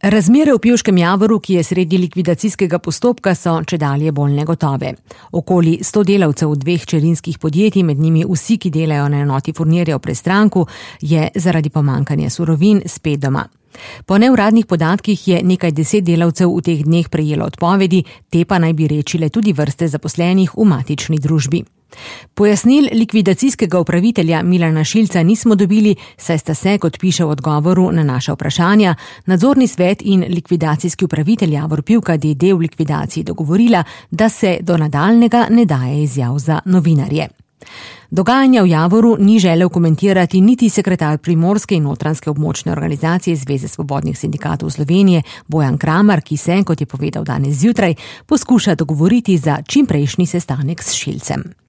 Razmere v Pivškem Javoru, ki je sredi likvidacijskega postopka, so čedalje bolj negotove. Okoli 100 delavcev v 2 hčerinskih podjetij, med njimi vsi, ki delajo na enoti furnirjev pri Stranku, je zaradi pomanjkanja surovin spet doma. Po neuradnih podatkih je nekaj 10 delavcev v teh dneh prejelo odpovedi, te pa naj bi rečile tudi vrste zaposlenih v matični družbi. Pojasnil likvidacijskega upravitelja Milana Šilca nismo dobili, saj sta se, kot piše v odgovoru na naša vprašanja, nadzorni svet in likvidacijski upravitelj Javor Pivka d.d. v likvidaciji dogovorila, da se do nadaljnega ne daje izjav za novinarje. Dogajanja v Javoru ni želel komentirati niti sekretar Primorske in Notranjske območne organizacije Zveze svobodnih sindikatov Slovenije Bojan Kramar, ki se, kot je povedal danes zjutraj, poskuša dogovoriti za čimprejšnji sestanek s Šilcem.